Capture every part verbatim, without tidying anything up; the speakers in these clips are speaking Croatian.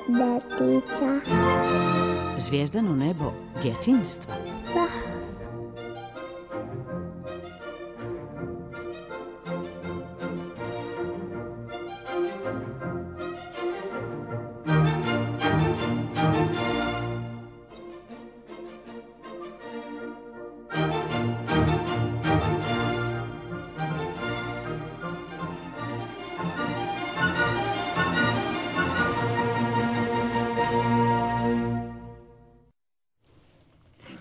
nebo detica. Zvijezdano nebo djetinjstva? Da.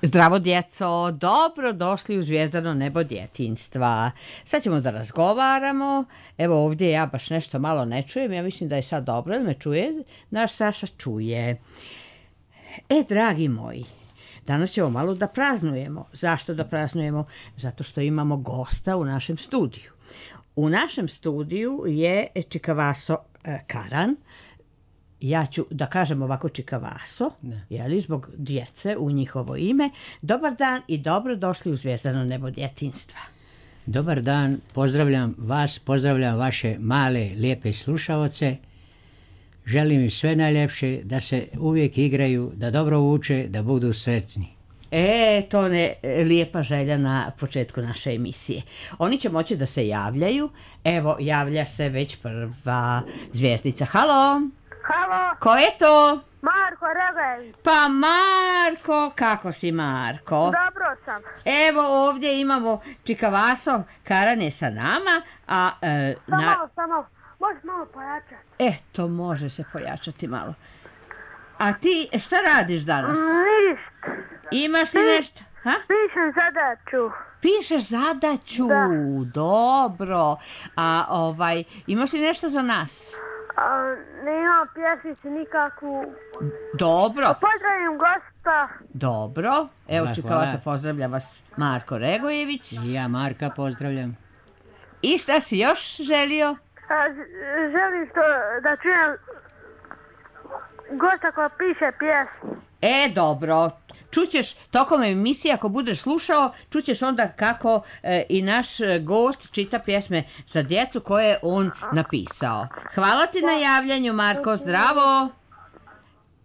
Zdravo djeco, dobro došli u Zvijezdano nebo djetinjstva. Sad ćemo da razgovaramo. Evo ovdje ja baš nešto malo ne čujem, ja mislim da je sad dobro, da me čuje, naš Saša čuje. E, dragi moji, danas ćemo malo da praznujemo. Zašto da praznujemo? Zato što imamo gosta u našem studiju. U našem studiju je Čikavaso Karan. Ja ću da kažem ovako Čikavaso, jeli, zbog djece u njihovo ime. Dobar dan i dobro došli u Zvijezdano nebo djetinjstva. Dobar dan, pozdravljam vas, pozdravljam vaše male, lijepe slušaoce. Želim im sve najljepše, da se uvijek igraju, da dobro uče, da budu sretni. E, to je lijepa želja na početku naše emisije. Oni će moći da se javljaju. Evo, javlja se već prva zvijezdica. Halo! Halo! Ko je to? Marko Regević. Pa Marko, kako si Marko? Dobro sam. Evo ovdje imamo Čikavaso Karan je sa nama, a... E, samo, na... samo, možeš malo pojačati. Eto, može se pojačati malo. A ti šta radiš danas? Ništa. Imaš li Pi... nešto? Ha? Pišem zadaću. Pišeš zadaću, da. Dobro. A ovaj, imaš li nešto za nas? A, nemam pjesmicu nikakvu. Dobro. A pozdravim gosta. Dobro. Evo Hvala, Čikavaso, hvala. pozdravlja vas Marko Regojević. I ja Marka pozdravljam. I šta si još želio? A, želim što da čujem gosta koja piše pjesmu. E, dobro. Čućeš tokom emisije, ako budeš slušao, čućeš onda kako e, i naš gost čita pjesme za djecu koje je on napisao. Hvala ti na javljanju, Marko, zdravo!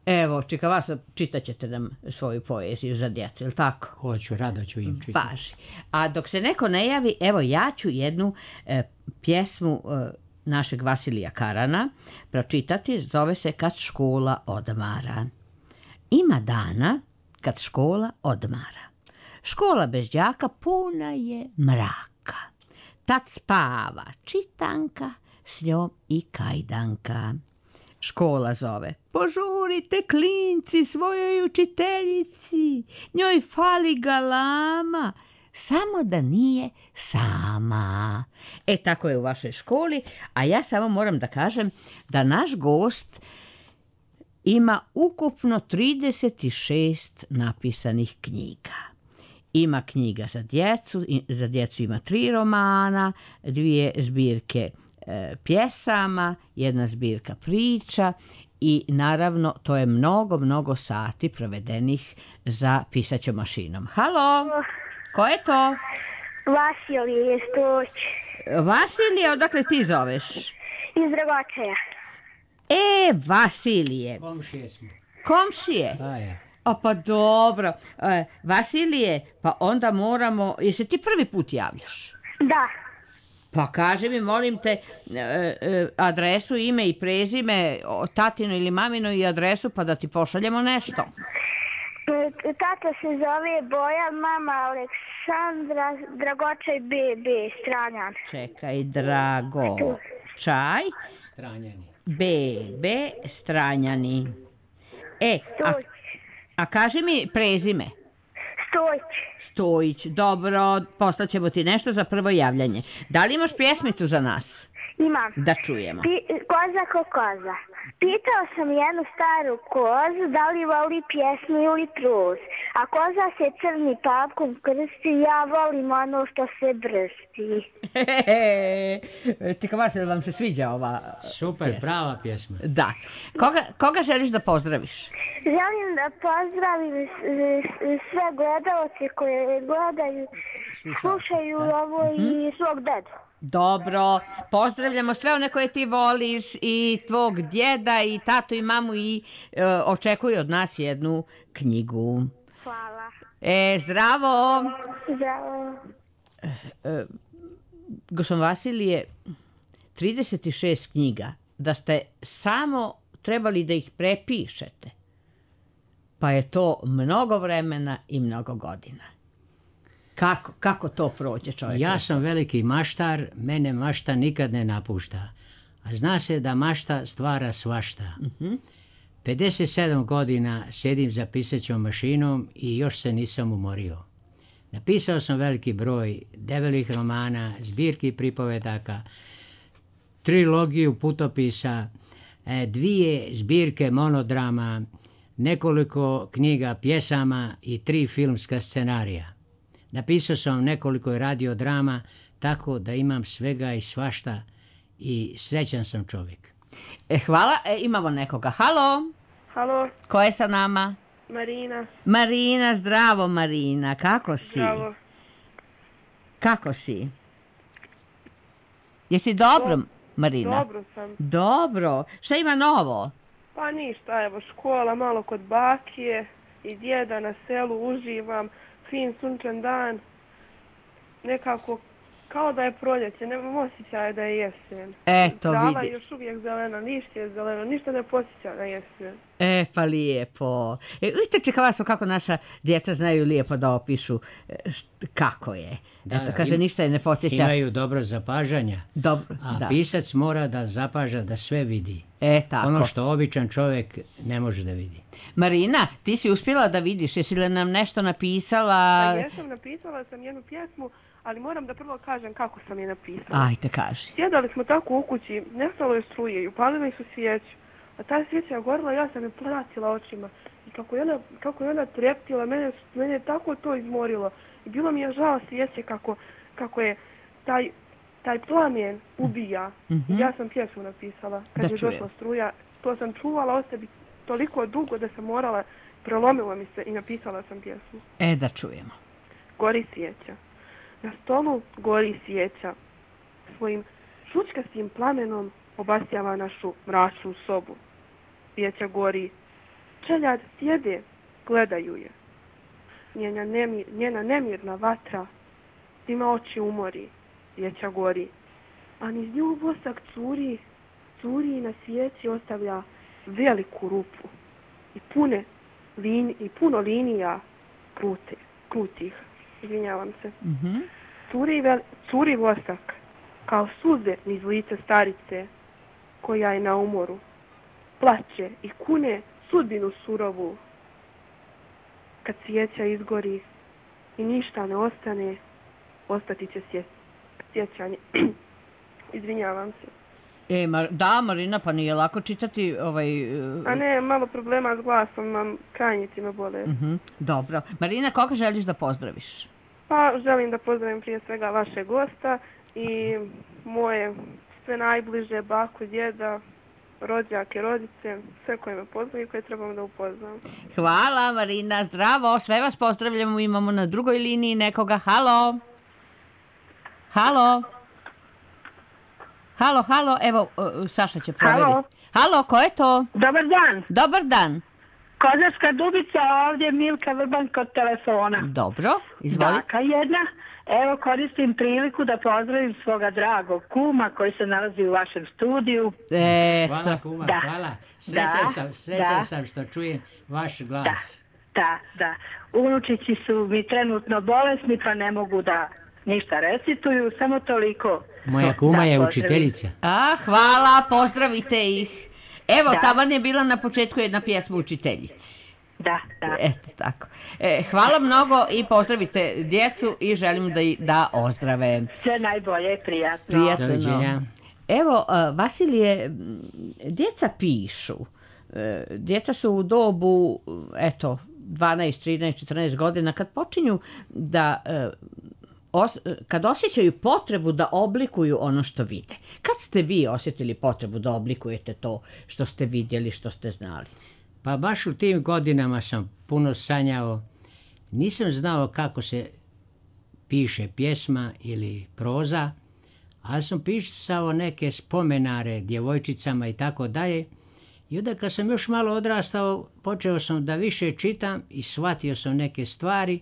Evo, Čikavaso, čitat ćete nam svoju poeziju za djecu, ili tako? Hoću, rado ću im čitati. Važi. A dok se neko ne javi, evo ja ću jednu e, pjesmu e, našeg Vasilija Karana pročitati, zove se Kad škola odmara. Ima dana kad škola odmara. Škola bez đaka puna je mraka. Tad spava čitanka, s njom i kajdanka. Škola zove: požurite klinci svojoj učiteljici, njoj fali galama, samo da nije sama. E, tako je u vašoj školi, a ja samo moram da kažem da naš gost ima ukupno trideset šest napisanih knjiga. Ima knjiga za djecu, za djecu ima tri romana, dvije zbirke e, pjesama, jedna zbirka priča i naravno to je mnogo, mnogo sati provedenih za pisaćom mašinom. Halo, ko je to? Vasilije Stoć. Vasilije, odakle ti zoveš? Iz Dragočeja. E, Vasilije. Komšije smo. Komšije? A ja. O, pa dobro. E, Vasilije, pa onda moramo... Jesi ti prvi put javljaš? Da. Pa kaži mi, molim te, e, e, adresu, ime i prezime, tatino ili mamino i adresu, pa da ti pošaljemo nešto. Tata se zove Boja, mama Aleksandra, Dragočaj B B, Stranjan. Čekaj, Drago. Čaj. Stranjani. B B, Stranjani. E, a, a kaži mi prezime. Stojić. Stojić, dobro, poslaćemo ti nešto za prvo javljanje. Da li imaš pjesmicu za nas? Imam. Da čujemo. Pi, koza ko koza. Pitao sam jednu staru kozu da li voli pjesmu ili truz. A koza se crni papkom krsti, ja volim ono što se brsti. Čikavaso, vam se sviđa ova Super, pjesma? prava pjesma. Da. Koga, koga želiš da pozdraviš? Želim da pozdravim sve gledalce koje gledaju, slušaju ovo i svog dedu. Dobro, pozdravljamo sve one koje ti voliš i tvog djeda i tatu i mamu i e, očekuju od nas jednu knjigu. Hvala. E, zdravo! Zdravo. E, Gospodin Vasilije, trideset šest knjiga, da ste samo trebali da ih prepišete, pa je to mnogo vremena i mnogo godina. Kako, kako to prođe čovjek? Ja sam veliki maštar, mene mašta nikad ne napušta. A zna se da mašta stvara svašta. Uh-huh. pedeset sedam godina sjedim za pisaćom mašinom i još se nisam umorio. Napisao sam veliki broj debelih romana, zbirki pripovedaka, trilogiju putopisa, dvije zbirke monodrama, nekoliko knjiga pjesama i tri filmska scenarija. Napisao sam nekoliko radiodrama, tako da imam svega i svašta i srećan sam čovjek. E, hvala, e, imamo nekoga. Halo? Halo, Ko je sa nama? Marina. Marina, zdravo Marina, kako si? Zdravo. Kako si? Jesi dobro, Marina? Dobro sam. Dobro. Šta ima novo? Pa ništa, evo škola, malo kod bakije i djeda na selu, uživam, fin sunčan dan, nekako kao da je proljeće, nemam osjećaja da je jesen. Eto, Trava vidi. je još uvijek zelena, lišće je zeleno, ništa ne posjeća na jesen. E, pa lijepo. E, vidite čekava kako naša djeca znaju lijepo da opišu e, št- kako je. Da, Eto, da, kaže, im- ništa je ne podsjeća. Imaju dobro zapažanja, Dobro, a da. pisac mora da zapaža da sve vidi. E, tako. Ono što običan čovjek ne može da vidi. Marina, ti si uspjela da vidiš, jesi li nam nešto napisala? Pa jesam, napisala sam jednu pjesmu, ali moram da prvo kažem kako sam je napisala. Ajde, kaži. Sjedali smo tako u kući, nestalo je struje i upalili su svijeću. A ta svijeća je gorila, ja sam je pratila očima. I kako je ona, kako je ona treptila, mene, mene je tako to izmorilo. I bilo mi je žao svijeće kako, kako je taj, taj plamen ubija. Mhm. I ja sam pjesmu napisala. Kad Da je čujem. došla struja, to sam čuvala o sebi toliko dugo da sam morala, prelomilo mi se i napisala sam pjesmu. E, da čujemo. Gori svijeća. Na stolu gori svijeća. Svojim šučkastim plamenom obasjava našu mračnu sobu. Svijeća gori. Čeljad sjede, gledaju je. Njena, nemir, njena nemirna vatra svima oči umori. Svijeća gori. A niz nju vosak curi, curi i na svijeći ostavlja veliku rupu. I, pune lin, i puno linija krute, krutih. Izvinjavam se. Mhm. Curi, vel, curi vosak, kao suze niz lice starice, koja je na umoru. Plače i kune sudbinu surovu. Kad svijeća izgori i ništa ne ostane, ostati će sje, sjećanje. Izvinjavam se. E, Mar- da, Marina, pa nije lako čitati ovaj... e, A ne, malo problema s glasom, imam krajnjici me bole. mhm. Dobro. Marina, koga želiš da pozdraviš? Pa želim da pozdravim prije svega vašeg gosta i moje sve najbliže, baku, djeda, rođake, rodice, sve koje me poznaju i koje trebam da upoznam. Hvala, Marina, zdravo, sve vas pozdravljamo, imamo na drugoj liniji nekoga. Halo? Halo? Halo, halo, evo, uh, Saša će provjeriti. Halo? Halo, ko je to? Dobar dan, Dobar dan. Kozarska Dubica, ovdje Milka Vrban kod telefona. Dobro, izvoli. Baka jedna, evo koristim priliku da pozdravim svoga dragog kuma koji se nalazi u vašem studiju. Eto. Hvala kuma, Da. hvala. Srećan Da. sam, srećan Da. sam što čujem vaš Da, glas. da, da. Unučići su mi trenutno bolesni pa ne mogu da ništa recituju, samo toliko. Moja kuma Da, je pozdravim. učiteljica. A, hvala, pozdravite ih. Evo, Da. taman je bila na početku jedna pjesma učiteljici. Da, da. Eto tako. E, hvala mnogo i pozdravite djecu i želim da, i- da ozdrave. Sve najbolje, prijatno. Prijatno. Doviđenja. Evo, a, Vasilije, m, djeca pišu. E, Djeca su u dobu, eto, dvanaest, trinaest, četrnaest godina, kad počinju da, e, os- kad osjećaju potrebu da oblikuju ono što vide. Kad ste vi osjetili potrebu da oblikujete to što ste vidjeli, što ste znali? Pa baš u tim godinama sam puno sanjao. Nisam znao kako se piše pjesma ili proza, ali sam pisao neke spomenare djevojčicama i tako dalje. I onda kad sam još malo odrastao, počeo sam da više čitam i shvatio sam neke stvari,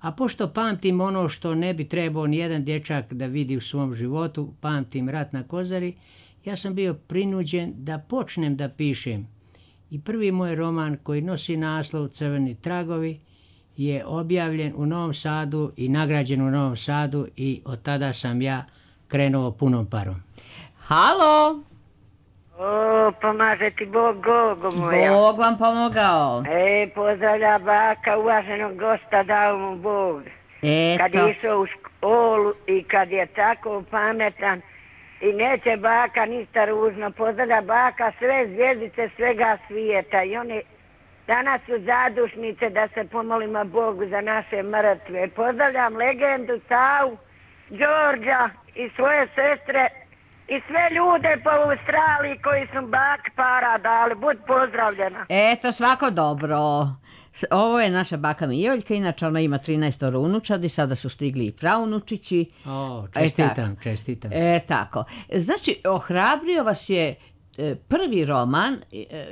a pošto pamtim ono što ne bi trebao nijedan dječak da vidi u svom životu, pamtim Rat na Kozari, ja sam bio prinuđen da počnem da pišem. I prvi moj roman koji nosi naslov Crveni tragovi je objavljen u Novom Sadu i nagrađen u Novom Sadu i od tada sam ja krenuo punom parom. Halo! O, pomaže ti Bog, Gogo moja. Bog vam pomogao. E, pozdravlja baka, uvaženog gosta, dao mu Bog. Eto. Kad je išao u školu i kad je tako pametan i neće baka ništa ružno, pozdravlja baka sve zvijezdice svega svijeta i one danas su zadušnice da se pomolimo Bogu za naše mrtve. Pozdravljam legendu Savu, Đorđa i svoje sestre i sve ljude po Australiji koji su bak para dali. Bud pozdravljena. Eto, svako dobro. Ovo je naša baka Mijoljka, inače ona ima trinaestoro unučadi, sada su stigli i praunučići. O, čestitam, e, čestitam. E, tako. Znači, ohrabrio vas je prvi roman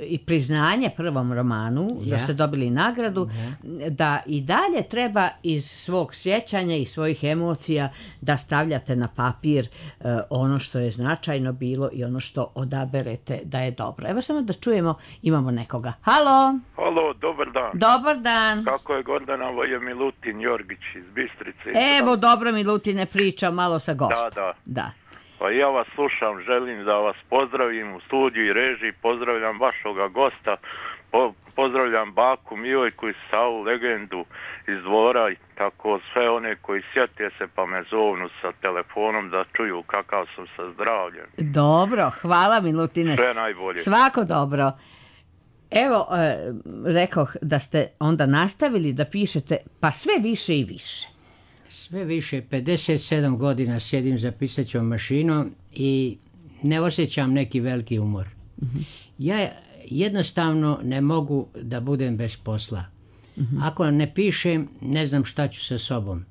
i priznanje prvom romanu, ja. Da ste dobili nagradu, ja. Da i dalje treba iz svog sjećanja i svojih emocija da stavljate na papir uh, ono što je značajno bilo i ono što odaberete da je dobro. Evo samo da čujemo, imamo nekoga. Halo! Halo, dobar dan. Dobar dan. Kako je Gordana, ovo je Milutin Jorgić iz Bistrice. Evo, dobro Milutine, priča malo sa gostom. Da, da. Da. Pa ja vas slušam, želim da vas pozdravim u studiju i režiji, pozdravljam vašoga gosta, po, pozdravljam baku Mijoljku i Savu, legendu iz Dvora, i tako sve one koji sjete se pa me zovnu sa telefonom da čuju kakav sam sa zdravljem. Dobro, hvala Milutine. Sve najbolje. Svako dobro. Evo, e, rekoh da ste onda nastavili da pišete pa sve više i više. Sve više, pedeset sedam godina sjedim za pisaćom mašinom i ne osjećam neki veliki umor. Mm-hmm. Ja jednostavno ne mogu da budem bez posla. Mm-hmm. Ako ne pišem, ne znam šta ću sa sobom.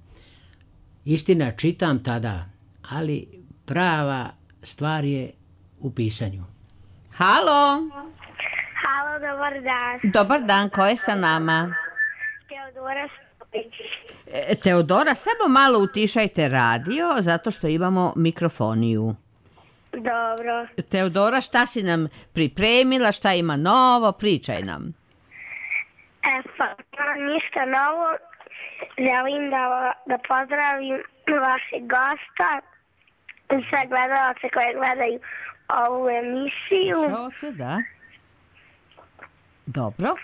Istina, čitam tada, ali prava stvar je u pisanju. Halo! Halo, dobar dan. Dobar dan, ko je sa nama? Teodora Stopić. Teodora, samo malo utišajte radio, zato što imamo mikrofoniju. Dobro. Teodora, šta si nam pripremila, šta ima novo, pričaj nam. E pa, ništa novo. Želim da, da pozdravim vašeg gosta i sve gledalce koje gledaju ovu emisiju. Slušalce, da. Dobro.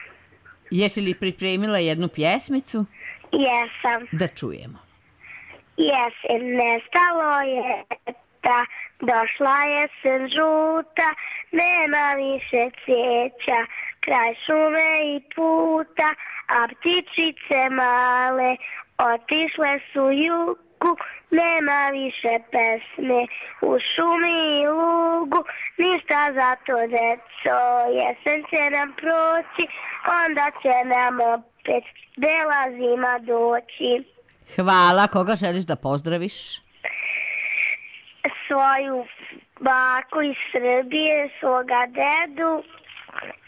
Jesi li pripremila jednu pjesmicu? Jesam. Da čujemo. Jesen nestalo je ta, došla jesen žuta, nema više cvijeća, kraj šume i puta, a ptičice male otišle su jugu, nema više pesme u šumi i lugu, ništa za to deco, jesen će nam proći, onda će nam opet bela zima doći. Hvala, koga želiš da pozdraviš? Svoju baku iz Srbije, svoga dedu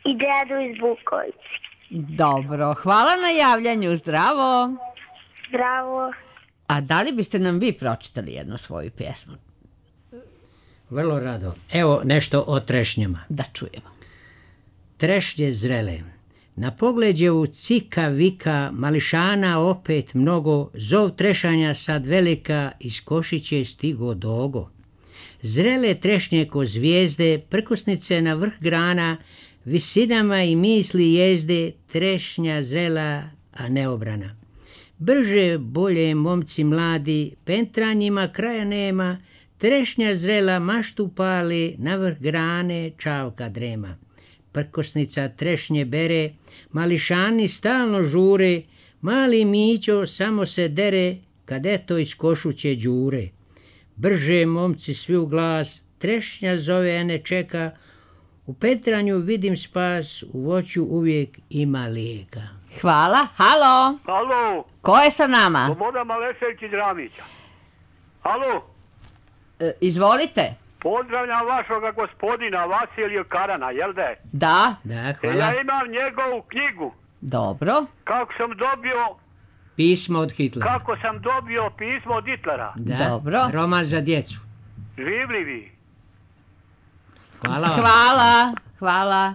i dedu iz Bukovice. Dobro, hvala na javljanju, zdravo. Zdravo. A da li biste nam vi pročitali jednu svoju pjesmu? Vrlo rado. Evo nešto o trešnjama. Da čujemo. Trešnje zrele. Na pogleđevu cika vika, mališana opet mnogo, zov trešanja sad velika, iz košiće stigo dogo. Zrele trešnje ko zvijezde, prkosnice na vrh grana, visinama i misli jezde, trešnja zrela, a neobrana. Brže, bolje, momci mladi, pentranjima kraja nema, trešnja zrela maštu pali, na vrh grane čavka drema. Prkosnica trešnje bere, mališani stalno žure, mali Mićo samo se dere, kad eto iz košuće đure. Brže, momci svi u glas, trešnja zove, a ne čeka, u petranju vidim spas, u voću uvijek ima lijeka. Hvala, halo. Halo. Ko je sa nama? Slobodan Malešević iz Ramića. Halo. E, izvolite. Pozdravljam vašoga gospodina Vasilija Karana, jel da je? Da. Da, hvala. Ja imam njegovu knjigu. Dobro. Kako sam dobio... Pismo od Hitlera. Kako sam dobio pismo od Hitlera. Da. Dobro. Roman za djecu. Življivi. Hvala vam. Hvala, hvala.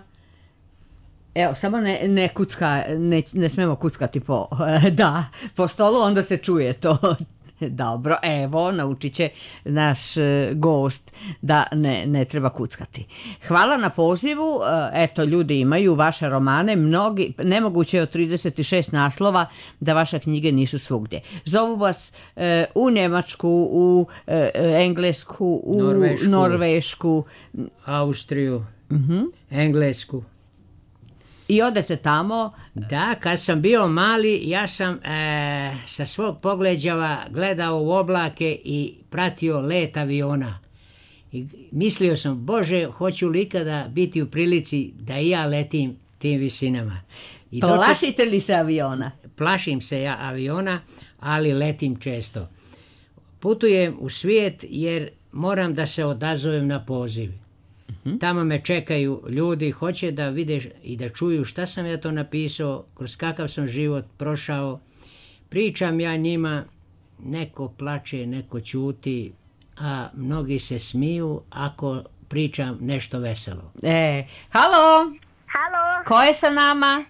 Evo, samo ne, ne kucka, ne, ne smemo kuckati po, da, po stolu, onda se čuje to. Dobro, evo, naučit će naš e, gost da ne, ne treba kuckati. Hvala na pozivu, e, eto, ljudi imaju vaše romane, mnogi, nemoguće je od trideset šest naslova da vaše knjige nisu svugdje. Zovu vas e, u Njemačku, u e, Englesku, u Norvešku, Norvešku Austriju, uh-huh. Englesku. I odete tamo. Da, kad sam bio mali, ja sam e, sa svog pogleđava gledao u oblake i pratio let aviona. I mislio sam, Bože, hoću li ikada biti u prilici da i ja letim tim visinama. I Plašite doček... li se aviona? Plašim se ja aviona, ali letim često. Putujem u svijet jer moram da se odazovem na poziv. Tamo me čekaju ljudi, hoće da vide i da čuju šta sam ja to napisao, kroz kakav sam život prošao. Pričam ja njima, neko plače, neko ćuti, a mnogi se smiju ako pričam nešto veselo. E, halo! Halo! Ko je sa nama?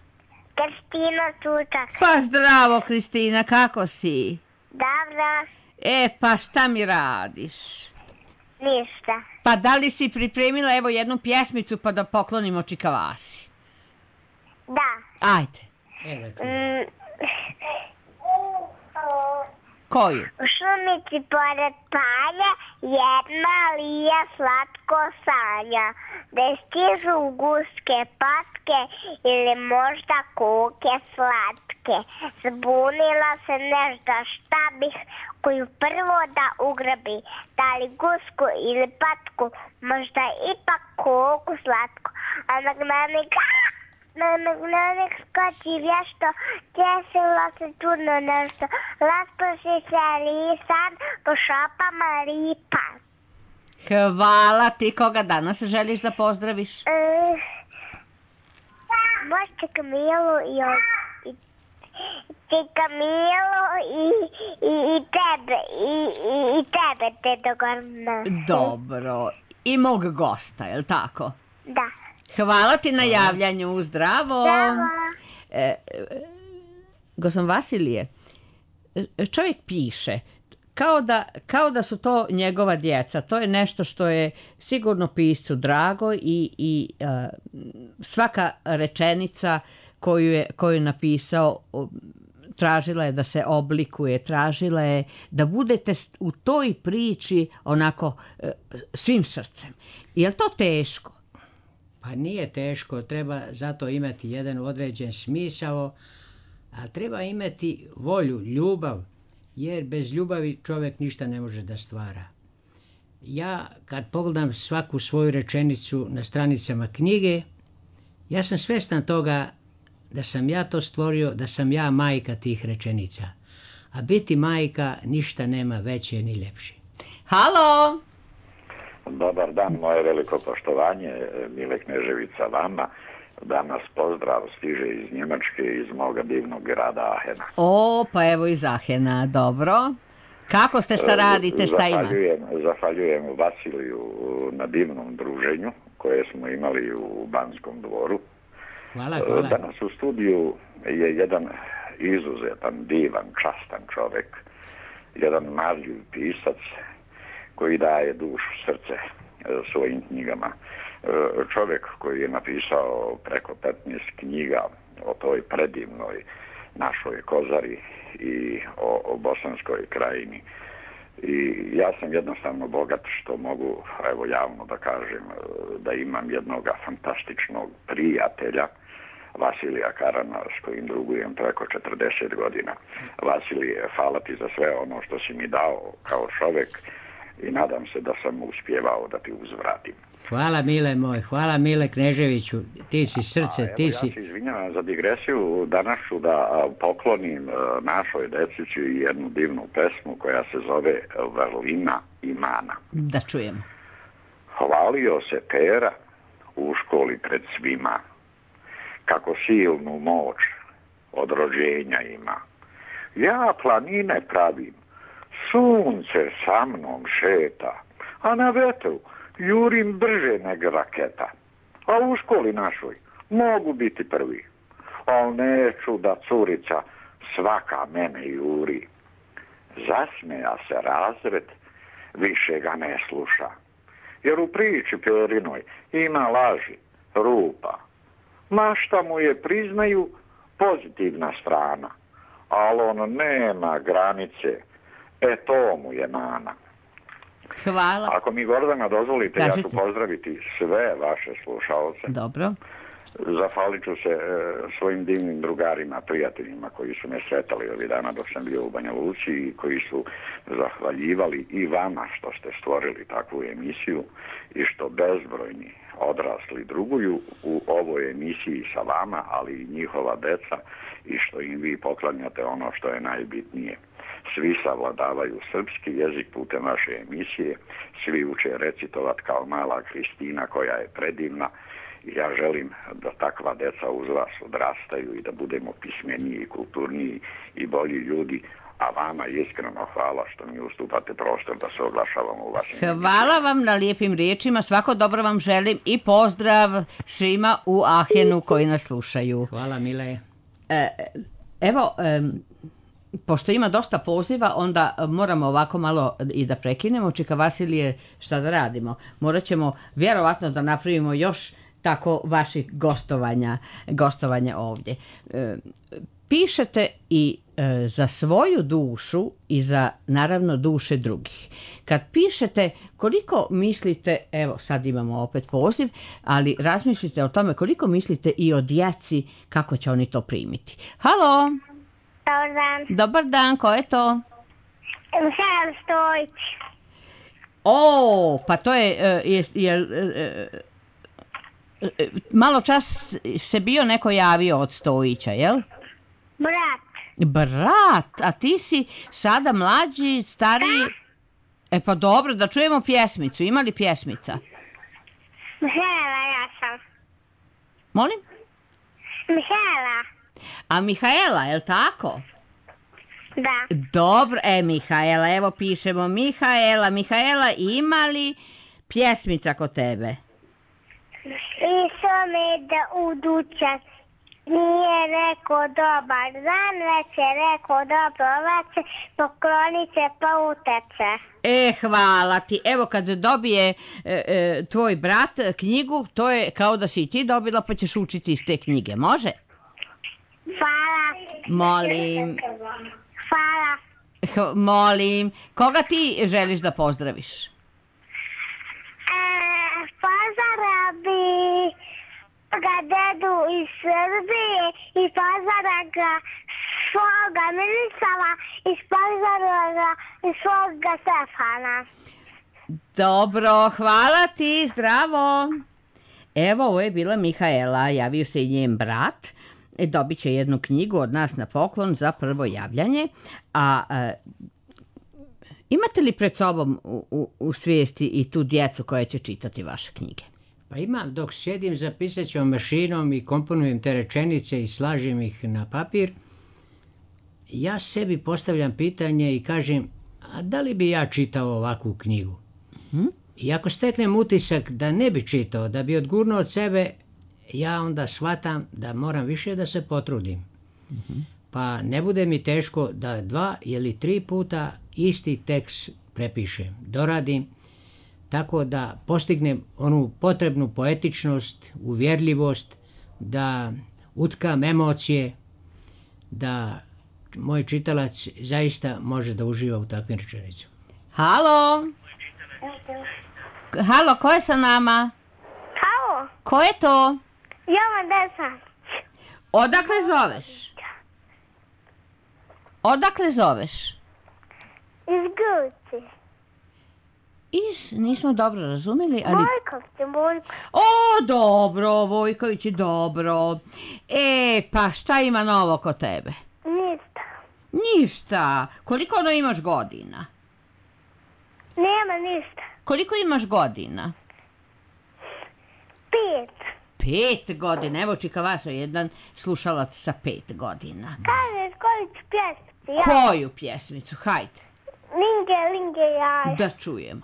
Kristina Čučak. Pa zdravo, Kristina, kako si? Dobro. E, pa šta mi radiš? Ništa. Pa da li si pripremila evo jednu pjesmicu pa da poklonimo Čikavasi? Da. Ajde. E, da mm. Koju? U šumici pored palja jedna lija slatko sanja, da stižu guske patke ili možda koke slatke. Zbunila se nešto šta bih koju prvo da ugrabi, da li gusku ili patku, možda ipak koku slatku, a nagnanik na nagnanik skoči vješto, desilo se čudno nešto, rasproši se lisan po šopama ripa. Hvala ti, koga danas želiš da pozdraviš? E, možete Kamilu i, i, i Kamilu i, i, i tebe, i, i, i tebe, Tedo Gorna. Dobro, i mog gosta, je li tako? Da. Hvala ti na javljanju, zdravo. Zdravo. E, e, Gospodin Vasilije, čovjek piše, kao da, kao da su to njegova djeca. To je nešto što je sigurno piscu drago i, i a, svaka rečenica koju je, koju je napisao tražila je da se oblikuje, tražila je da budete u toj priči onako svim srcem. Je li to teško? Pa nije teško, treba zato imati jedan određen smisao, a treba imati volju, ljubav, jer bez ljubavi čovjek ništa ne može da stvara. Ja kad pogledam svaku svoju rečenicu na stranicama knjige, ja sam svjestan toga da sam ja to stvorio, da sam ja majka tih rečenica. A biti majka ništa nema veće ni ljepše. Halo! Dobar dan, moje veliko poštovanje, Mile Kneževica vama. Danas pozdrav stiže iz Njemačke, iz moga divnog grada Ahena. O, pa evo iz Ahena, dobro. Kako ste, šta radite, šta ima? Zahvaljujem, zahvaljujem Vasiliju na divnom druženju koje smo imali u Banskom dvoru. Hvala, hvala. Danas u studiju je jedan izuzetan, divan, častan čovjek, jedan marljiv pisac koji daje dušu, srce svojim knjigama. Čovjek koji je napisao preko petnaest knjiga o toj predivnoj našoj Kozari i o, o Bosanskoj krajini. I ja sam jednostavno bogat što mogu, evo javno da kažem, da imam jednog fantastičnog prijatelja, Vasilija Karana, s kojim drugujem preko četrdeset godina. Vasilije, hvala ti za sve ono što si mi dao kao čovjek i nadam se da sam uspjevao da ti uzvratim. Hvala Mile moj, hvala Mile Kneževiću, ti si srce, A, evo, ti si... Ja se izvinjavam za digresiju, danas ću da poklonim našoj decici jednu divnu pesmu koja se zove Vrlina i mana. Da čujemo. Hvalio se Pera u školi pred svima, kako silnu moć od rođenja ima. Ja planine pravim, sunce sa mnom šeta, a na vetru jurim brže nego raketa. A u školi našoj mogu biti prvi, al neću da curica svaka mene juri. Zasmeja se razred, više ga ne sluša, jer u priči Perinoj ima laži, rupa. Mašta mu je, priznaju, pozitivna strana, ali on nema granice, e to mu je mana. Hvala. Ako mi, Gordana, dozvolite, Kažite. ja ću pozdraviti sve vaše slušalce. Dobro. Zahvalit ću se e, svojim divnim drugarima, prijateljima koji su me sretali ovih dana dok sam bio u Banja Luci i koji su zahvaljivali i vama što ste stvorili takvu emisiju i što bezbrojni odrasli druguju u ovoj emisiji sa vama, ali i njihova deca, i što im vi poklanjate ono što je najbitnije. Svi savladavaju srpski jezik putem vaše emisije, svi uče recitovat kao mala Kristina koja je predivna. Ja želim da takva deca uz vas odrastaju i da budemo pismeniji, kulturniji i bolji ljudi, a vama iskreno hvala što mi ustupate prostor da se oglašavamo u vašem emisiji. Hvala vam na lijepim riječima, svako dobro vam želim i pozdrav svima u Ahenu koji nas slušaju. Hvala Mile. E, evo, e, pošto ima dosta poziva, onda moramo ovako malo i da prekinemo. Čika Vasilije, šta da radimo? Morat ćemo vjerovatno da napravimo još tako vaših gostovanja, gostovanja ovdje. E, pišete i e, za svoju dušu i za, naravno, duše drugih. Kad pišete, koliko mislite, evo sad imamo opet poziv, ali razmislite o tome koliko mislite i o djeci, kako će oni to primiti. Halo! Dobar dan. Dobar dan, ko je to? Mihael Stojić. O, pa to je, e, je, je e, e, malo čas se bio neko javio od Stojića, jel? Brat. Brat, a ti si sada mlađi, stariji... E pa dobro, da čujemo pjesmicu. Ima li pjesmica? Mihaela, ja sam. Molim? Mihaela. A Mihaela, je li tako? Da. Dobro, e Mihaela, evo pišemo Mihaela. Mihaela, ima li pjesmica kod tebe? Išao me da u dućan, nije rekao dobar dan, već je rekao dobro veče, poklonit se pa uteče. E, hvala ti. Evo kad dobije e, e, tvoj brat knjigu, to je kao da si i ti dobila, pa ćeš učiti iz te knjige. Može? Hvala. Molim. Hvala. H- molim. Koga ti želiš da pozdraviš? E, pozara bi ga dedu iz Srbije i pozara ga svoga Mirisava i pozara ga svoga Stefana. Dobro, hvala ti, zdravo. Evo, ovo je bila Mihaela, javio se i njen brat. E, dobit će jednu knjigu od nas na poklon za prvo javljanje. A e, imate li pred sobom u, u, u svijesti i tu djecu koja će čitati vaše knjige? Pa imam, dok sjedim za pisaćom mašinom i komponujem te rečenice i slažem ih na papir, ja sebi postavljam pitanje i kažem, a da li bi ja čitao ovakvu knjigu? Hmm? I ako steknem utisak da ne bi čitao, da bi odgurnuo od sebe, ja onda shvatam da moram više da se potrudim. Mm-hmm. Pa ne bude mi teško da dva ili tri puta isti tekst prepišem, doradim, tako da postignem onu potrebnu poetičnost, uvjerljivost, da utkam emocije, da moj čitalac zaista može da uživa u takvim rečenicama. Halo? Halo, ko je sa nama? Halo, Ko je to? Jovan Desant. Odakle zoveš? Odakle zoveš? Iz Guci. Iz, nismo dobro razumeli, ali... Vojković, Vojković. O, dobro, Vojković, dobro. E, pa šta ima novo kod tebe? Ništa. Ništa. Koliko ono imaš godina? Nema ništa. Koliko imaš godina? Pet. Pet godina. Evo Čika Vaso, jedan slušalac sa pet godina. Kažeš koju ću pjesmicu? Ja. Koju pjesmicu? Hajde. Linge, linge, jaja. Da čujemo.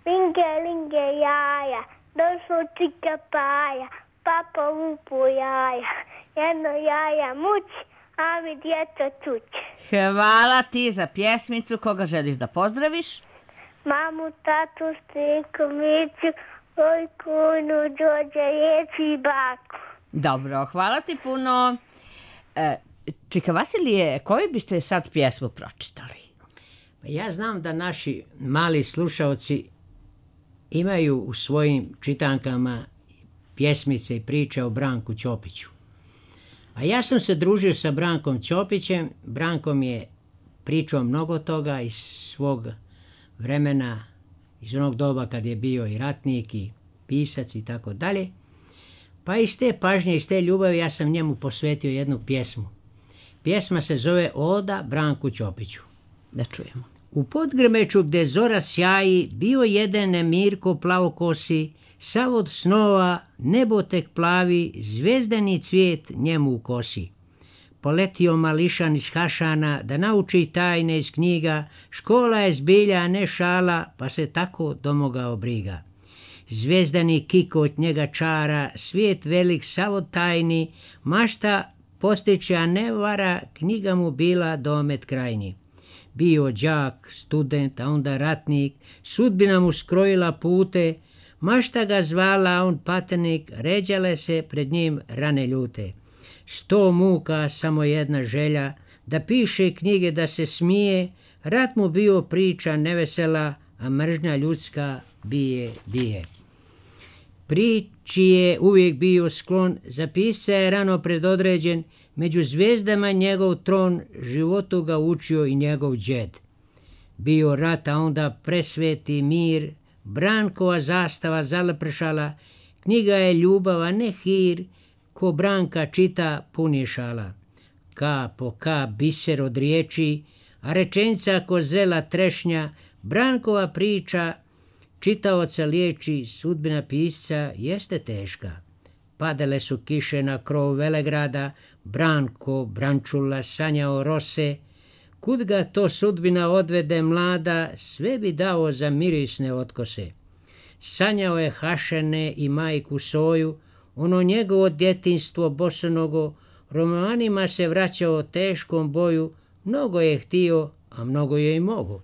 Linge, linge, jaja. Došlo Čika Paja. Papa lupu jaja. Jedno jaja mući, a mi djeca tući. Hvala ti za pjesmicu. Koga želiš da pozdraviš? Mamu, tatu, striku, miću, ojkunu, Đorđe, Jeci i baku. Dobro, hvala ti puno. E, Čika Vasilije, koju biste sad pjesmu pročitali? Ja znam da naši mali slušalci imaju u svojim čitankama pjesmice i priče o Branku Ćopiću. A ja sam se družio sa Brankom Ćopićem. Branko mi je pričao mnogo toga iz svog vremena, iz onog doba kad je bio i ratnik i pisac i tako dalje. Pa iz te pažnje, iz te ljubavi ja sam njemu posvetio jednu pjesmu. Pjesma se zove Oda Branku Ćopiću. Da čujemo. U Podgrmeću gde zora sjaji, bio jedan Mirko plavokosi, sav od snova, nebo tek plavi, zvezdani cvijet njemu u kosi. Poletio mališan iz Hašana da nauči tajne iz knjiga, škola je zbilja, a ne šala, pa se tako domogao briga. Zvezdani kiko od njega čara, svijet velik sav od tajni, mašta postiće, a ne vara, knjiga mu bila domet krajni. Bio đak, student, a onda ratnik, sudbina mu skrojila pute, mašta ga zvala, a on patenik, ređale se pred njim rane ljute. Sto muka, samo jedna želja, da piše knjige, da se smije, rat mu bio priča nevesela, a mržnja ljudska bije, bije. Priči je uvijek bio sklon, za pisca je rano predodređen, među zvijezdama njegov tron, životu ga učio i njegov džed. Bio rat, a onda presveti mir, Brankova zastava zalepršala, knjiga je ljubav, a ne hir, ko Branka čita pun je šala. Ka po ka biser od riječi, a rečenica ko zrela trešnja, Brankova priča čitaoca liječi, sudbina pisca jeste teška. Padale su kiše na krov Velegrada, Branko, Brančula, sanjao rose, kud ga to sudbina odvede mlada, sve bi dao za mirisne otkose. Sanjao je Hašene i majku Soju, ono njegovo djetinstvo bosonogo, romanima se vraćao teškom boju, mnogo je htio, a mnogo je i mogo.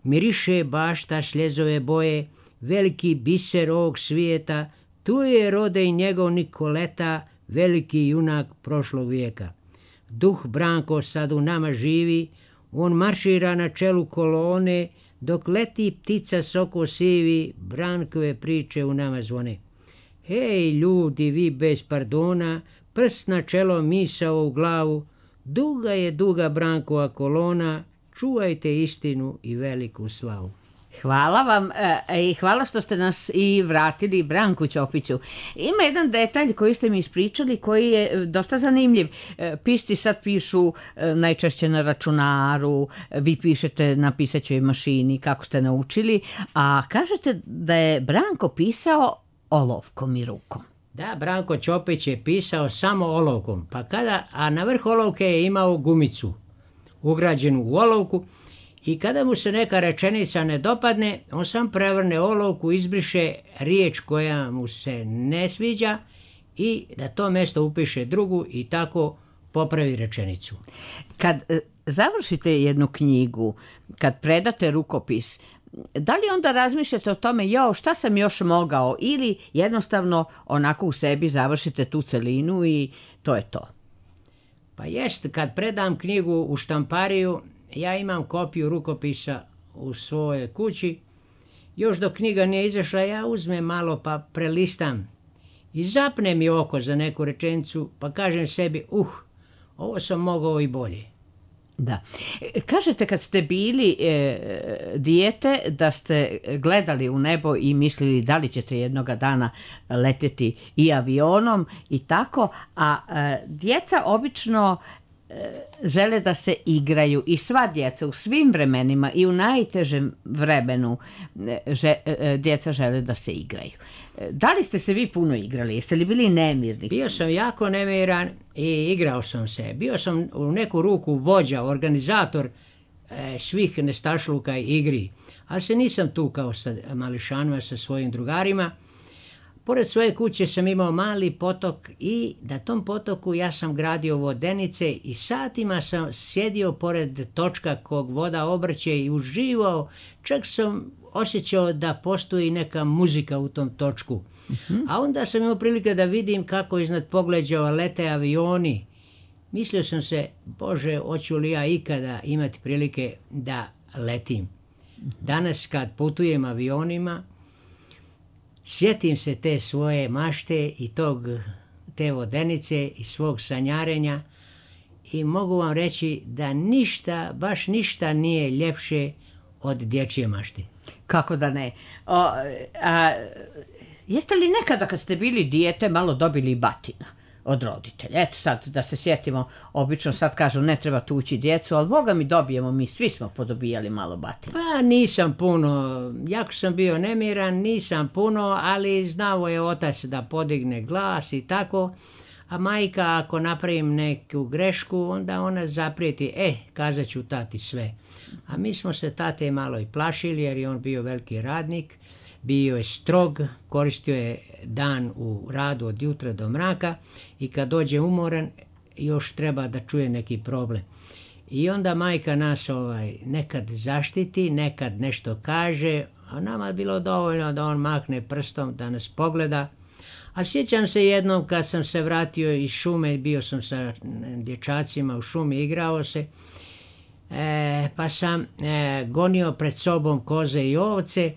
Miriše bašta sljezove boje, veliki biser ovog svijeta, tu je rode i njegov Nikoleta, veliki junak prošlog vijeka. Duh Branko sad u nama živi, on maršira na čelu kolone, dok leti ptica soko sivi, Brankove priče u nama zvone. Hej ljudi, vi bez pardona, prst na čelo, misao u glavu, duga je duga Brankova kolona, čuvajte istinu i veliku slavu. Hvala vam e, i hvala što ste nas i vratili Branku Ćopiću. Ima jedan detalj koji ste mi ispričali koji je dosta zanimljiv. E, pisci sad pišu e, najčešće na računaru, vi pišete na pisaćoj mašini kako ste naučili, a kažete da je Branko pisao olovkom i rukom. Da, Branko Ćopić je pisao samo olovkom, pa kada, a na vrh olovke je imao gumicu ugrađenu u olovku, i kada mu se neka rečenica ne dopadne, on sam prevrne olovku, izbriše riječ koja mu se ne sviđa i da to mjesto upiše drugu i tako popravi rečenicu. Kad e, završite jednu knjigu, kad predate rukopis, da li onda razmišljate o tome, jo, šta sam još mogao, ili jednostavno onako u sebi završite tu celinu i to je to? Pa jest, kad predam knjigu u štampariju, ja imam kopiju rukopisa u svojoj kući. Još dok knjiga nije izašla, ja uzmem malo pa prelistam i zapne mi oko za neku rečenicu, pa kažem sebi, uh, ovo sam mogao i bolje. Da. Kažete kad ste bili e, dijete da ste gledali u nebo i mislili da li ćete jednoga dana letjeti i avionom i tako, a e, djeca obično e, žele da se igraju i sva djeca u svim vremenima i u najtežem vremenu e, že, e, djeca žele da se igraju. Da li ste se vi puno igrali? Jeste li bili nemirni? Bio sam jako nemiran i igrao sam se. Bio sam u neku ruku vođa, organizator e, svih nestašluka i igri. Ali se nisam tu kao sa mališanima, sa svojim drugarima. Pored svoje kuće sam imao mali potok i na tom potoku ja sam gradio vodenice i satima sam sjedio pored točka kog voda obrće i uživao. Čak sam osjećao da postoji neka muzika u tom točku. Uh-huh. A onda sam imao prilike da vidim kako iznad pogleđava lete avioni. Mislio sam se, Bože, hoću li ja ikada imati prilike da letim. Uh-huh. Danas kad putujem avionima, sjetim se te svoje mašte i tog, te vodenice i svog sanjarenja i mogu vam reći da ništa, baš ništa nije ljepše od dječje mašte. Kako da ne? O, a, jeste li nekada kad ste bili dijete malo dobili batina od roditelja? Eto sad da se sjetimo, obično sad kažu ne treba tući djecu, ali Boga mi dobijemo, mi svi smo podobijali malo batina. Pa nisam puno, jako sam bio nemiran, nisam puno, ali znao je otac da podigne glas i tako, a majka ako napravim neku grešku, onda ona zaprijeti, e, kazat ću tati sve. A mi smo se tate malo i plašili jer je on bio veliki radnik, bio je strog, koristio je dan u radu od jutra do mraka i kad dođe umoran još treba da čuje neki problem. I onda majka nas ovaj, nekad zaštiti, nekad nešto kaže, a nama je bilo dovoljno da on mahne prstom, da nas pogleda. A sjećam se jednom kad sam se vratio iz šume, bio sam sa dječacima u šumi, igrao se, e, pa sam e, gonio pred sobom koze i ovce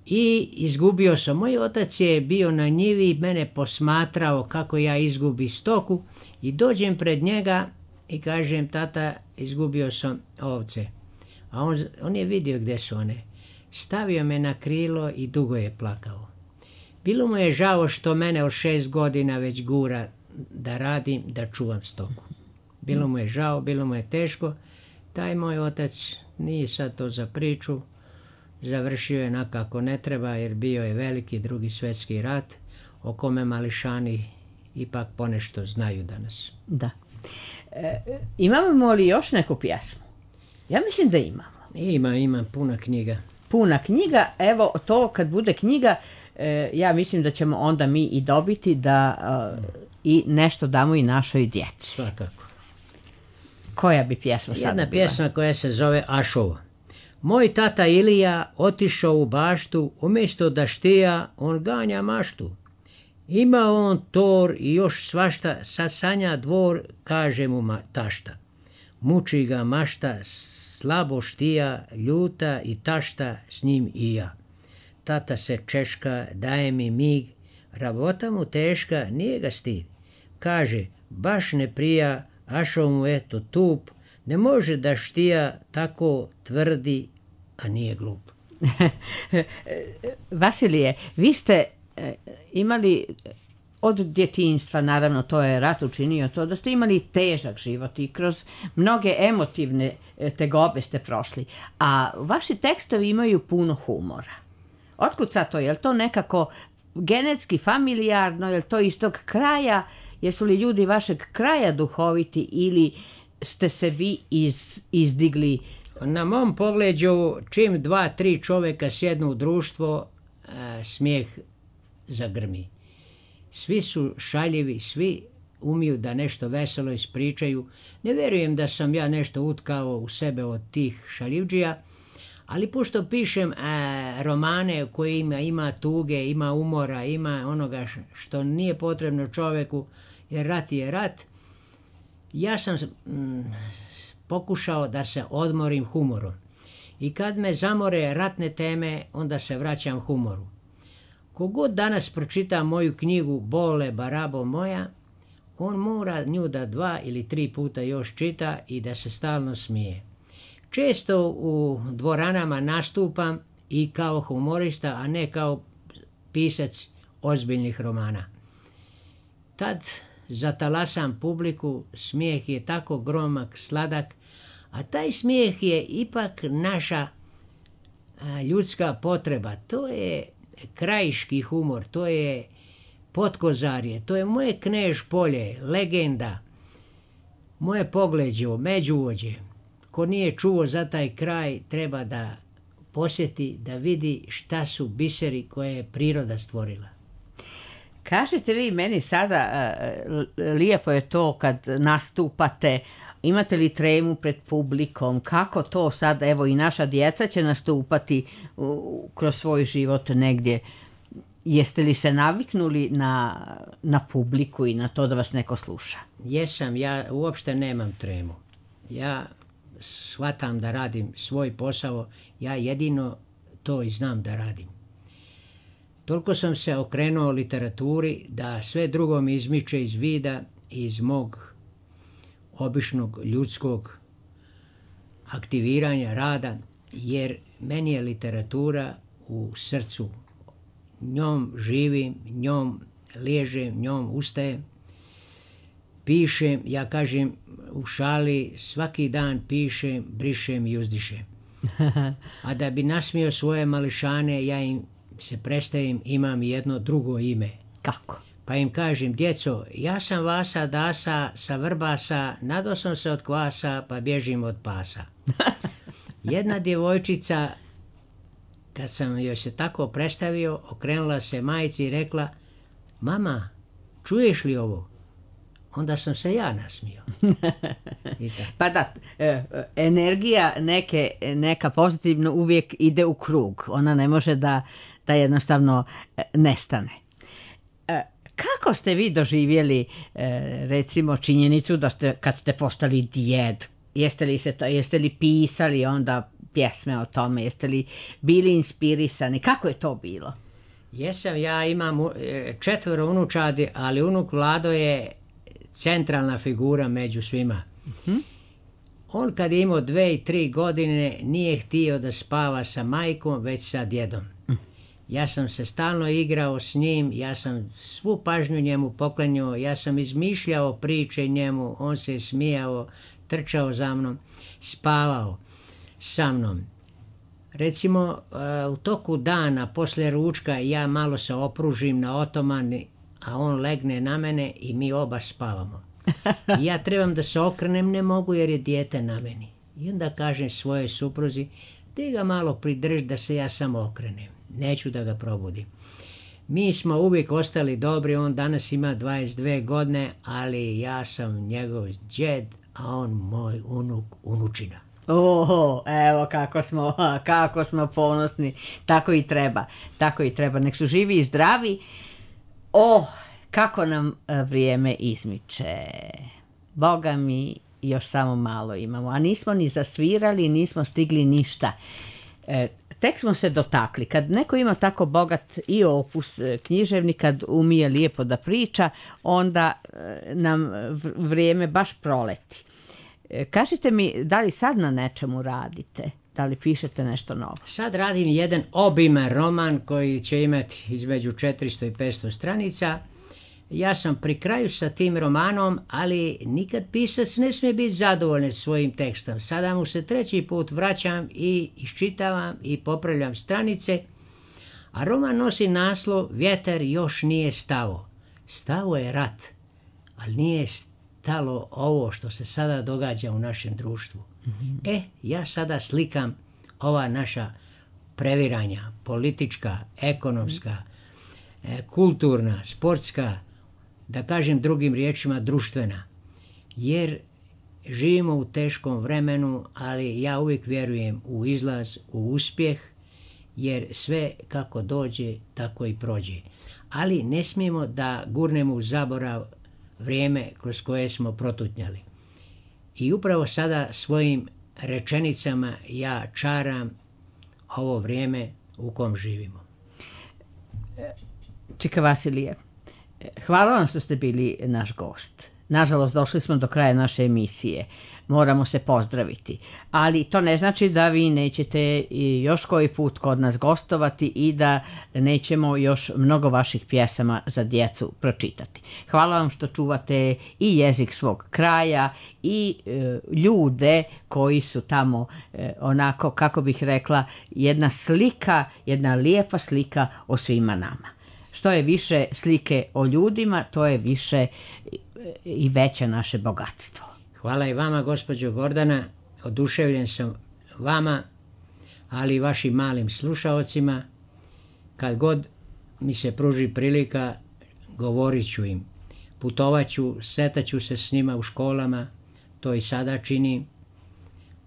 i izgubio sam. Moj otac je bio na njivi i mene posmatrao kako ja izgubi stoku i dođem pred njega i kažem, tata, izgubio sam ovce. A on, on je vidio gdje su one. Stavio me na krilo i dugo je plakao. Bilo mu je žao što mene od šest godina već gura da radim, da čuvam stoku. Bilo mu je žao, bilo mu je teško. Taj moj otac nije sad to za priču. Završio je nakako ne treba jer bio je veliki drugi svjetski rat o kome mališani ipak ponešto znaju danas. Da. E, imamo li još neku pjesmu? Ja mislim da imamo. Ima, ima puna knjiga. Puna knjiga, evo to kad bude knjiga, e, ja mislim da ćemo onda mi i dobiti da e, i nešto damo i našoj djeci. Svakako. Koja bi pjesma sada bila? Jedna pjesma koja se zove Ašova. Moj tata Ilija otišao u baštu, umjesto da štija, on ganja maštu. Ima on tor i još svašta, sad sanja dvor, kaže mu ma, tašta. Muči ga mašta, slabo štija, ljuta i tašta, s njim i ja. Tata se češka, daje mi mig, rabota mu teška, nije ga stid. Kaže, baš ne prija, Ašo mu eto tup, ne može da štija, tako tvrdi, a nije glup. Vasilije, vi ste e, imali od djetinjstva, naravno to je rat učinio to, da ste imali težak život i kroz mnoge emotivne tegobe ste prošli, a vaši tekstovi imaju puno humora. Otkud sad to? Je li to nekako genetski, familijarno, je li to iz tog kraja, jesu li ljudi vašeg kraja duhoviti ili ste se vi iz, izdigli? Na mom pogledu, čim dva, tri čovjeka sjednu u društvo, a, smijeh zagrmi. Svi su šaljivi, svi umiju da nešto veselo ispričaju. Ne vjerujem da sam ja nešto utkao u sebe od tih šaljivđija, ali pošto pišem a, romane u kojima ima tuge, ima umora, ima onoga što nije potrebno čovjeku, jer rat je rat, ja sam mm, pokušao da se odmorim humorom. I kad me zamore ratne teme, onda se vraćam humoru. Kogod danas pročita moju knjigu Bole, barabo moja, on mora nju da dva ili tri puta još čita i da se stalno smije. Često u dvoranama nastupam i kao humorista, a ne kao pisac ozbiljnih romana. Tad zatalasam publiku, smijeh je tako gromak, sladak, a taj smijeh je ipak naša a, ljudska potreba. To je krajiški humor, to je Potkozarje, to je moje Knež polje, legenda, moje Pogleđo, Međuvođe. Ko nije čuo za taj kraj, treba da posjeti, da vidi šta su biseri koje je priroda stvorila. Kažete vi meni sada, lijepo je to kad nastupate, imate li tremu pred publikom, kako to sad, evo i naša djeca će nastupati kroz svoj život negdje. Jeste li se naviknuli na, na publiku i na to da vas neko sluša? Jesam, ja uopšte nemam tremu. Ja shvatam da radim svoj posao, ja jedino to i znam da radim. Toliko sam se okrenuo literaturi da sve drugo mi izmiče iz vida, iz mog običnog ljudskog aktiviranja, rada, jer meni je literatura u srcu. Njom živim, njom liježem, njom ustajem, pišem, ja kažem u šali, svaki dan pišem, brišem i uzdišem. A da bi nasmio svoje mališane, ja im se predstavim, imam jedno drugo ime. Kako? Pa im kažem, djeco, ja sam Vasa Dasa sa Vrbasa, nado sam se od kvasa, pa bježim od pasa. Jedna djevojčica, kad sam joj se tako predstavio, okrenula se majci i rekla, mama, čuješ li ovo? Onda sam se ja nasmio. Pa da, energija neke, neka pozitivno uvijek ide u krug. Ona ne može da, da jednostavno nestane. Kako ste vi doživjeli recimo činjenicu da ste, kad ste postali djed, jeste li, se to, jeste li pisali onda pjesme o tome, jeste li bili inspirisani, kako je to bilo? Jesam, ja imam četvero unučadi, ali unuk Vlado je centralna figura među svima. Uh-huh. On kad je imao dve i tri godine nije htio da spava sa majkom, već sa djedom. Uh-huh. Ja sam se stalno igrao s njim, ja sam svu pažnju njemu poklanjao, ja sam izmišljao priče njemu, on se smijao, trčao za mnom, spavao sa mnom. Recimo, u toku dana, poslije ručka, ja malo se opružim na otomani, a on legne na mene i mi oba spavamo. I ja trebam da se okrenem, ne mogu jer je dijete na meni. I onda kažem svojoj supruzi, ti ga malo pridrž da se ja samo okrenem. Neću da ga probudim. Mi smo uvijek ostali dobri, on danas ima dvadeset dvije godine, ali ja sam njegov djed, a on moj unuk, unučina. Oho, evo kako smo, kako smo ponosni. Tako i treba, tako i treba. Nek su živi i zdravi. Oh, kako nam vrijeme izmiče. Boga mi, još samo malo imamo. A nismo ni zasvirali, nismo stigli ništa. E, tek smo se dotakli. Kad neko ima tako bogat i opus književni, kad umije lijepo da priča, onda nam vrijeme baš proleti. E, kažite mi, da li sad na nečemu radite? Da li pišete nešto novo? Sad radim jedan obiman roman koji će imati između četiristo i petsto stranica. Ja sam pri kraju sa tim romanom, ali nikad pisac ne smije biti zadovoljan svojim tekstom. Sada mu se treći put vraćam i iščitavam i popravljam stranice, a roman nosi naslov Vjetar još nije stao. Stao je rat, ali nije stalo ovo što se sada događa u našem društvu. Mm-hmm. E, ja sada slikam ova naša previranja, politička, ekonomska, mm-hmm. e, kulturna, sportska, da kažem drugim riječima društvena. Jer živimo u teškom vremenu, ali ja uvijek vjerujem u izlaz, u uspjeh, jer sve kako dođe, tako i prođe. Ali ne smijemo da gurnemo u zaborav vrijeme kroz koje smo protutnjali. I upravo sada svojim rečenicama ja čaram ovo vrijeme u kom živimo. Čika Vasilije, Hvala vam što ste bili naš gost. Nažalost, došli smo do kraja naše emisije. Moramo se pozdraviti. Ali to ne znači da vi nećete još koji put kod nas gostovati i da nećemo još mnogo vaših pjesama za djecu pročitati. Hvala vam što čuvate i jezik svog kraja i e, ljude koji su tamo e, onako, kako bih rekla, jedna slika, jedna lijepa slika o svima nama. Što je više slike o ljudima, to je više i veće naše bogatstvo. Hvala i vama, gospođo Gordana. Oduševljen sam vama, ali i vašim malim slušaocima. Kad god mi se pruži prilika, govorit ću im. Putovat ću, sretaću se s njima u školama, to i sada činim,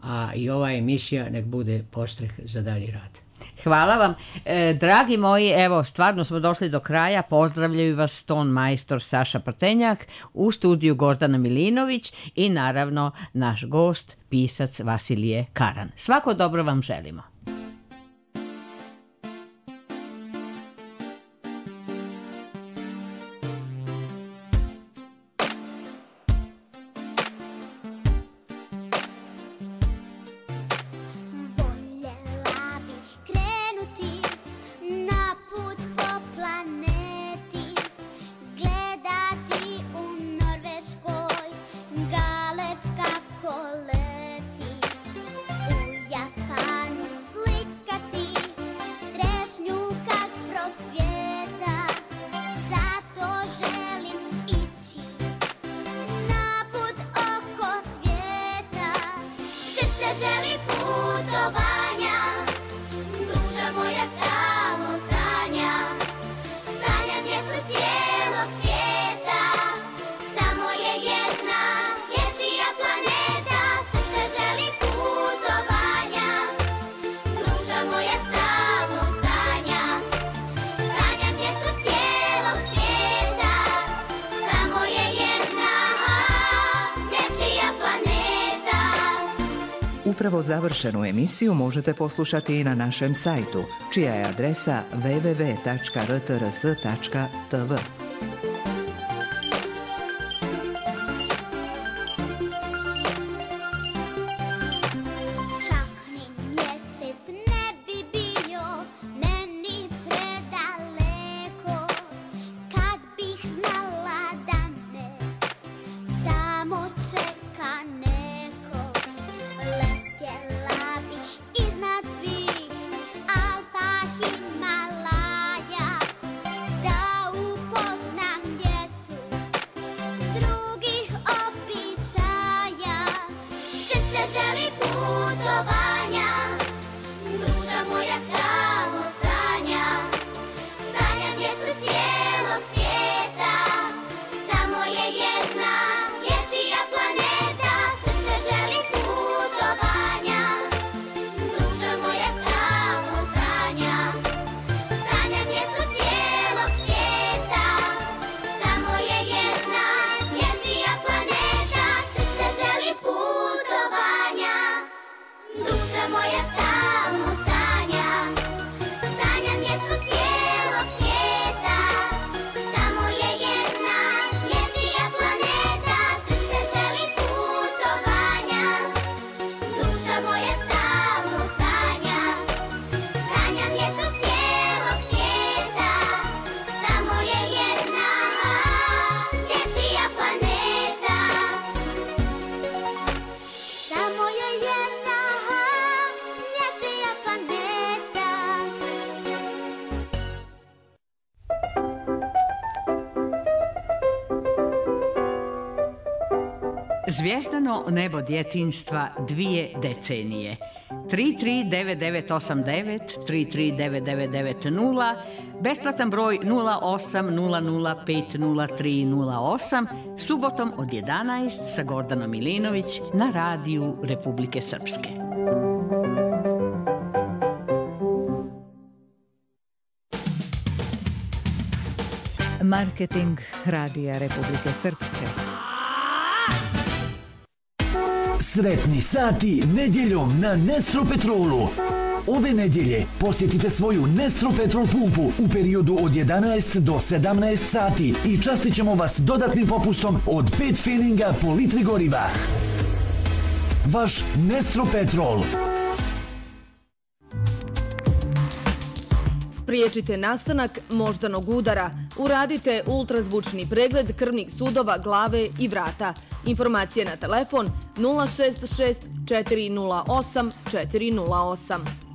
a i ova emisija nek bude postreh za dalji rad. Hvala vam. E, dragi moji, evo, stvarno smo došli do kraja. Pozdravljaju vas ton majstor Saša Prtenjak, u studiju Gordana Milinović i naravno naš gost, pisac Vasilije Karan. Svako dobro vam želimo. Upravo završenu emisiju možete poslušati i na našem sajtu, čija je adresa w w w tačka r t r s tačka t v. Zvijezdano nebo djetinjstva dvije decenije. tri tri devet devet osam devet, tri tri devet devet devet nula, besplatan broj nula osam nula nula pet nula tri nula osam, subotom od jedanaest sa Gordanom Milinović na radiju Republike Srpske. Marketing radija Republike Srpske. Sretni sati nedjeljom na Nestro Petrolu. ove nedjelje posjetite svoju Nestro Petrol pumpu u periodu od jedanaest do sedamnaest sati i častit ćemo vas dodatnim popustom od pet feninga po litri goriva. Vaš Nestro Petrol. Spriječite nastanak moždanog udara. Uradite ultrazvučni pregled krvnih sudova, glave i vrata. Informacije na telefon nula šest šest četiri nula osam četiri nula osam.